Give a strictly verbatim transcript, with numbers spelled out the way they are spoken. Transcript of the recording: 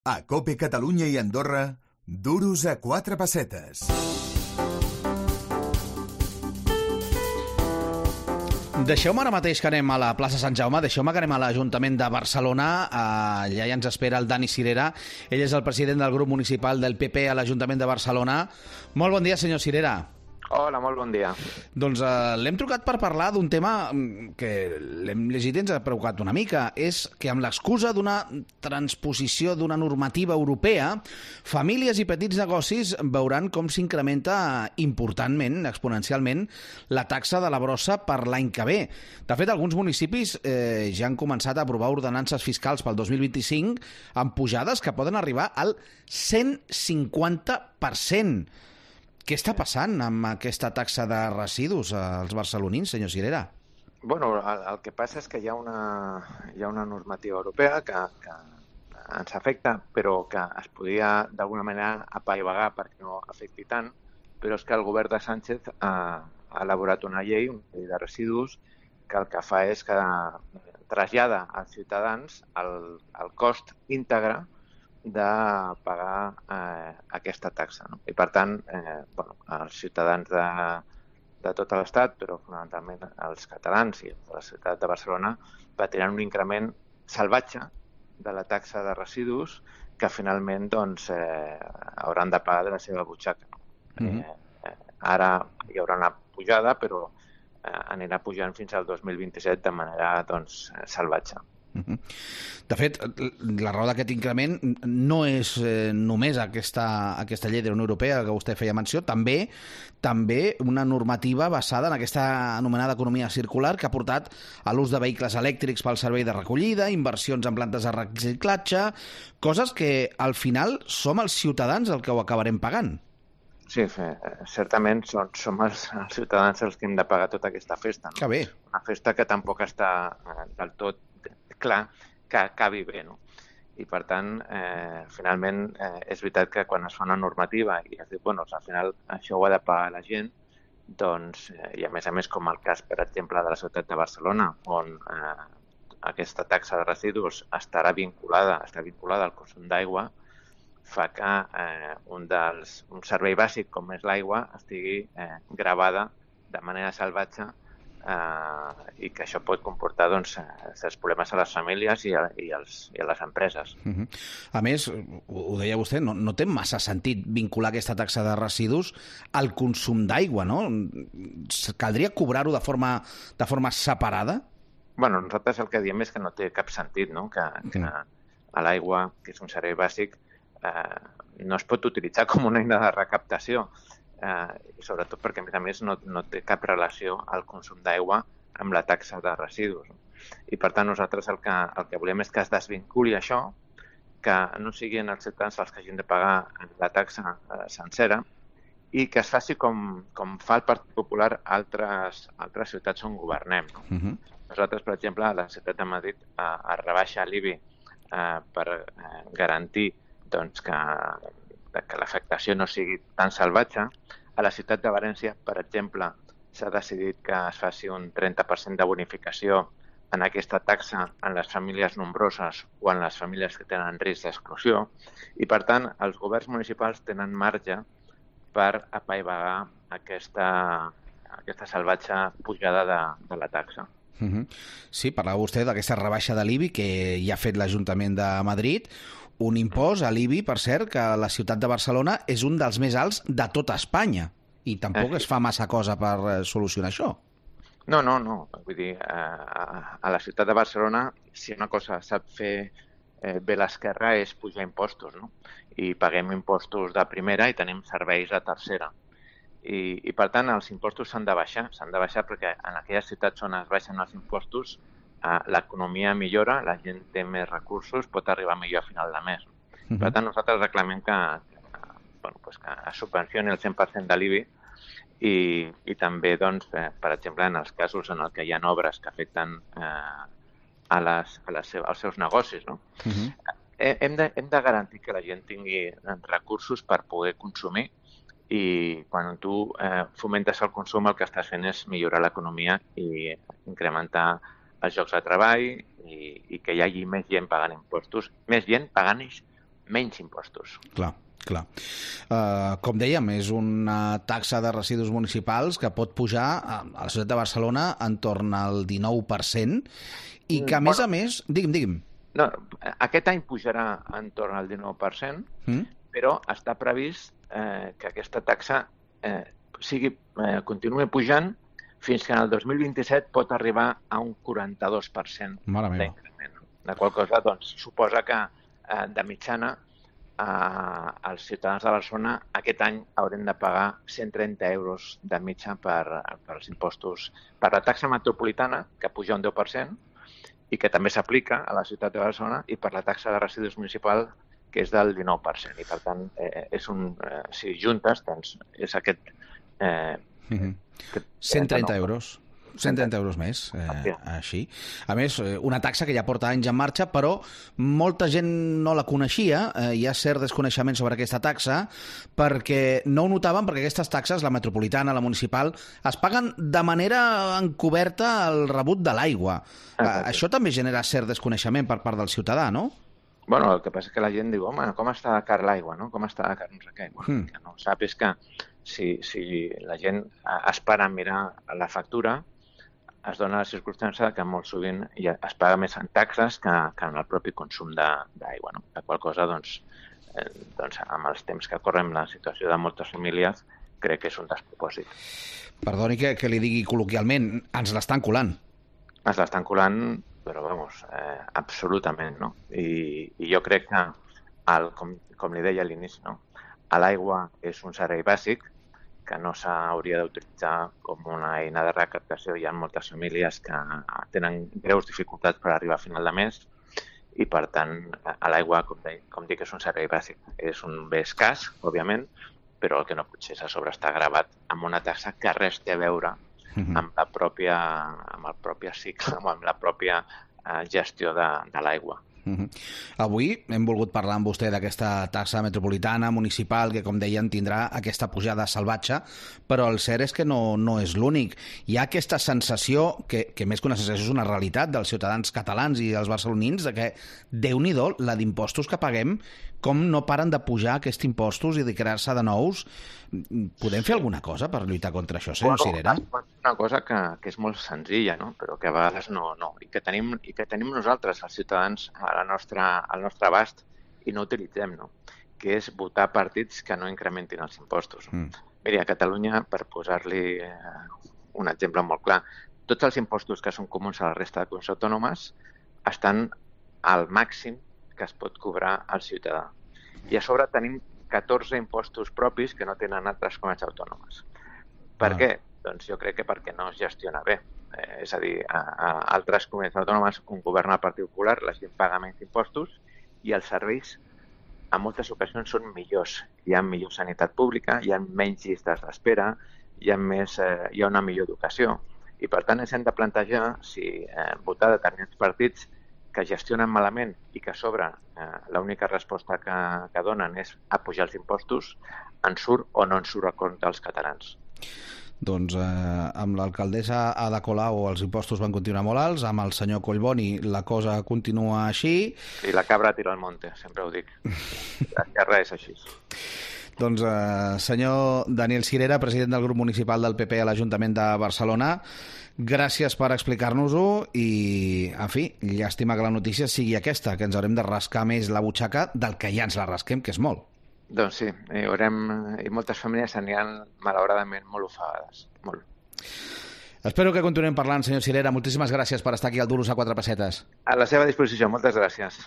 A COPE Catalunya i Andorra, duros a quatre pessetes. Deixeu-me ara mateix que anem a la plaça Sant Jaume, deixeu-me que anem a l'Ajuntament de Barcelona. Allà ja ens espera el Dani Cirera. Ell és el president del grup municipal del P P a l'Ajuntament de Barcelona. Molt bon dia, senyor Cirera. Hola, molt bon dia. Doncs uh, l'hem trucat per parlar d'un tema que l'hem llegit i ens ha preocupat una mica. És que amb l'excusa d'una transposició d'una normativa europea, famílies i petits negocis veuran com s'incrementa importantment, exponencialment, la taxa de la brossa per l'any que ve. De fet, alguns municipis eh, ja han començat a aprovar ordenances fiscals pel dos mil vint-i-cinc amb pujades que poden arribar al cent cinquanta per cent. Què està passant amb aquesta taxa de residus als barcelonins, senyor Cirera? Bueno, el, el que passa és que hi ha una, hi ha una normativa europea que, que ens afecta, però que es podia d'alguna manera apaivagar perquè no afecti tant, però és que el govern de Sánchez ha, ha elaborat una llei, una llei de residus, que el que fa és que trasllada als ciutadans el, el cost íntegre de pagar eh, aquesta taxa. No? I, per tant, eh, bueno, els ciutadans de, de tot l'Estat, però fonamentalment els catalans i de la ciutat de Barcelona, patiran un increment salvatge de la taxa de residus que finalment doncs, eh, hauran de pagar de la seva butxaca. No? Mm-hmm. eh, eh, ara hi haurà una pujada, però eh, anirà pujant fins al dos mil vint-i-set de manera doncs, salvatge. De fet, la raó d'aquest increment no és eh, només aquesta, aquesta llei de la Unió Europea que vostè feia menció, també també una normativa basada en aquesta anomenada economia circular que ha portat a l'ús de vehicles elèctrics pel servei de recollida, inversions en plantes de reciclatge, coses que al final som els ciutadans el que ho acabarem pagant. Sí, certament som, som els, els ciutadans els que hem de pagar tota aquesta festa. No? Que bé. Una festa que tampoc està eh, del tot clar que acabi bé, no? I per tant, eh, finalment, eh, és veritat que quan es fa una normativa i es diu, bueno, al final això ho ha de pagar la gent, doncs, eh, i a més a més com el cas, per exemple, de la ciutat de Barcelona, on eh, aquesta taxa de residus estarà vinculada, està vinculada al consum d'aigua, fa que eh, un, dels, un servei bàsic com és l'aigua estigui eh, gravada de manera salvatge Uh, i que això pot comportar doncs, certs problemes a les famílies i a, i als, i a les empreses. Uh-huh. A més, ho, ho deia vostè, no, no té massa sentit vincular aquesta taxa de residus al consum d'aigua, no? Caldria cobrar-ho de forma, de forma separada? Bueno, nosaltres el que diem és que no té cap sentit, no? Que, que a l'aigua, que és un servei bàsic, eh, no es pot utilitzar com una eina de recaptació. Eh, i sobretot perquè, a més a més, no, no té cap relació al consum d'aigua amb la taxa de residus. I, per tant, nosaltres el que, el que volem és que es desvinculi això, que no siguin els ciutadans els que hagin de pagar la taxa eh, sencera i que es faci com, com fa el Partit Popular a altres, altres ciutats on governem. No? Uh-huh. Nosaltres, per exemple, a la ciutat de Madrid eh, es rebaixa l'I B I eh, per eh, garantir doncs, que que l'afectació no sigui tan salvatge. A la ciutat de València, per exemple, s'ha decidit que es faci un trenta per cent de bonificació en aquesta taxa en les famílies nombroses o en les famílies que tenen risc d'exclusió i, per tant, els governs municipals tenen marge per apaivagar aquesta, aquesta salvatge pujada de, de la taxa. Uh-huh. Sí, parlava vostè d'aquesta rebaixa de l'I B I que ja ha fet l'Ajuntament de Madrid, un impost a l'I B I, per cert, que la ciutat de Barcelona és un dels més alts de tota Espanya i tampoc es fa massa cosa per solucionar això. No, no, no. Vull dir, a, a la ciutat de Barcelona, si una cosa sap fer eh, bé l'esquerra és pujar impostos, no? I paguem impostos de primera i tenim serveis de tercera. I, i per tant, els impostos s'han de baixar. S'han de baixar perquè en aquelles ciutats on es baixen els impostos l'economia millora, la gent té més recursos, pot arribar millor a final de mes. Uh-huh. Per tant, nosaltres reclamem que, que, bueno, pues que es subvencioni el cent per cent de l'I B I i, i també, doncs, eh, per exemple, en els casos en què hi ha obres que afecten eh, a les, a les seves, als seus negocis. No? Uh-huh. Hem de, hem de garantir que la gent tingui recursos per poder consumir i quan tu eh, fomentes el consum el que estàs fent és millorar l'economia i incrementar els llocs de treball i, i que hi hagi més gent pagant impostos, més gent pagant menys impostos. Clar, clar. Uh, com dèiem, és una taxa de residus municipals que pot pujar a la ciutat de Barcelona entorn al dinou per cent i que, a més bueno, a més... Digui'm, digui'm. No, aquest any pujarà entorn al dinou per cent, mm? però està previst eh, que aquesta taxa eh, sigui, eh, continui pujant fins que en el dos mil vint-i-set pot arribar a un quaranta-dos per cent d'increment. La qual cosa doncs, suposa que eh, de mitjana eh, els ciutadans de Barcelona aquest any haurem de pagar cent trenta euros de mitja per, per els impostos, per la taxa metropolitana, que puja un deu per cent, i que també s'aplica a la ciutat de Barcelona, i per la taxa de residus municipal, que és del dinou per cent. I, per tant, eh, és un, eh, si juntes, doncs, és aquest... Eh, mm-hmm. cent trenta euros. cent trenta euros més, eh, així. A més, una taxa que ja porta anys en marxa, però molta gent no la coneixia, eh, hi ha cert desconeixement sobre aquesta taxa, perquè no ho notaven, perquè aquestes taxes, la metropolitana, la municipal, es paguen de manera encoberta al rebut de l'aigua. Eh, això també genera cert desconeixement per part del ciutadà, no? Bueno, el que passa és que la gent diu, home, com està de car l'aigua, no? Com està de car no sé què? Bueno, mm. que no sap és que si, si la gent espera mirar la factura, es dona la circumstància que molt sovint ja es paga més en taxes que, que en el propi consum d'aigua, no? La qual cosa, doncs, eh, doncs, amb els temps que correm la situació de moltes famílies, crec que és un despropòsit. Perdoni que, que li digui col·loquialment, ens l'estan colant. Ens l'estan colant, però, vamos, eh, absolutament, no? I, i jo crec que, el, com, com li deia a l'inici, no? L'aigua és un servei bàsic, que no s'hauria d'utilitzar com una eina de recaptació. Hi ha moltes famílies que tenen greus dificultats per arribar a final de mes i, per tant, a l'aigua, com, com dic, és un servei bàsic. És un bé escàs, òbviament, però el que no pot ser és a sobre està gravat amb una taxa que res té a veure amb la pròpia, amb el propi cicle, amb la pròpia eh, gestió de, de l'aigua. Uh-huh. Avui hem volgut parlar amb vostè d'aquesta taxa metropolitana, municipal, que, com deien, tindrà aquesta pujada salvatge, però el cert és que no, no és l'únic. Hi ha aquesta sensació, que, que més que una sensació és una realitat dels ciutadans catalans i dels barcelonins, de que, Déu-n'hi-do, la d'impostos que paguem, com no paren de pujar aquests impostos i de crear-se de nous. Podem fer alguna cosa per lluitar contra això, senyor Cirera? Bueno, una cosa que, que és molt senzilla, no? Però que a vegades no, no. I que tenim, i que tenim nosaltres, els ciutadans, a la nostra, al nostre abast, i no utilitzem, no? Que és votar partits que no incrementin els impostos. Mm. Miri, a Catalunya, per posar-li eh, un exemple molt clar, tots els impostos que són comuns a la resta de comunitats autònomes estan al màxim que es pot cobrar al ciutadà. I a sobre tenim catorze impostos propis que no tenen altres comunitats autònomes. Per ah. què? Doncs jo crec que perquè no es gestiona bé. Eh, és a dir, a, a altres comunitats autònomes on governa el Partit Popular, la gent paga menys impostos i els serveis en moltes ocasions són millors. Hi ha millor sanitat pública, hi ha menys llistes d'espera, hi ha, més, eh, hi ha una millor educació. I per tant ens hem de plantejar si eh, votar determinats partits que gestionen malament i que a sobre eh, l'única resposta que, que donen és apujar els impostos, en surt o no en surt a compte als catalans. Doncs eh, amb l'alcaldessa Ada Colau els impostos van continuar molt alts, amb el senyor Collboni la cosa continua així. Sí, la cabra tira al monte, sempre ho dic. La terra és així. Doncs, eh, senyor Daniel Cirera, president del grup municipal del P P a l'Ajuntament de Barcelona, gràcies per explicar-nos-ho i, en fi, llàstima que la notícia sigui aquesta, que ens haurem de rascar més la butxaca del que ja ens la rasquem, que és molt. Doncs sí, i, haurem, i moltes famílies aniran, malauradament, molt ofegades. Molt. Espero que continuem parlant, senyor Cirera. Moltíssimes gràcies per estar aquí al Duros a quatre pessetes. A la seva disposició, moltes gràcies.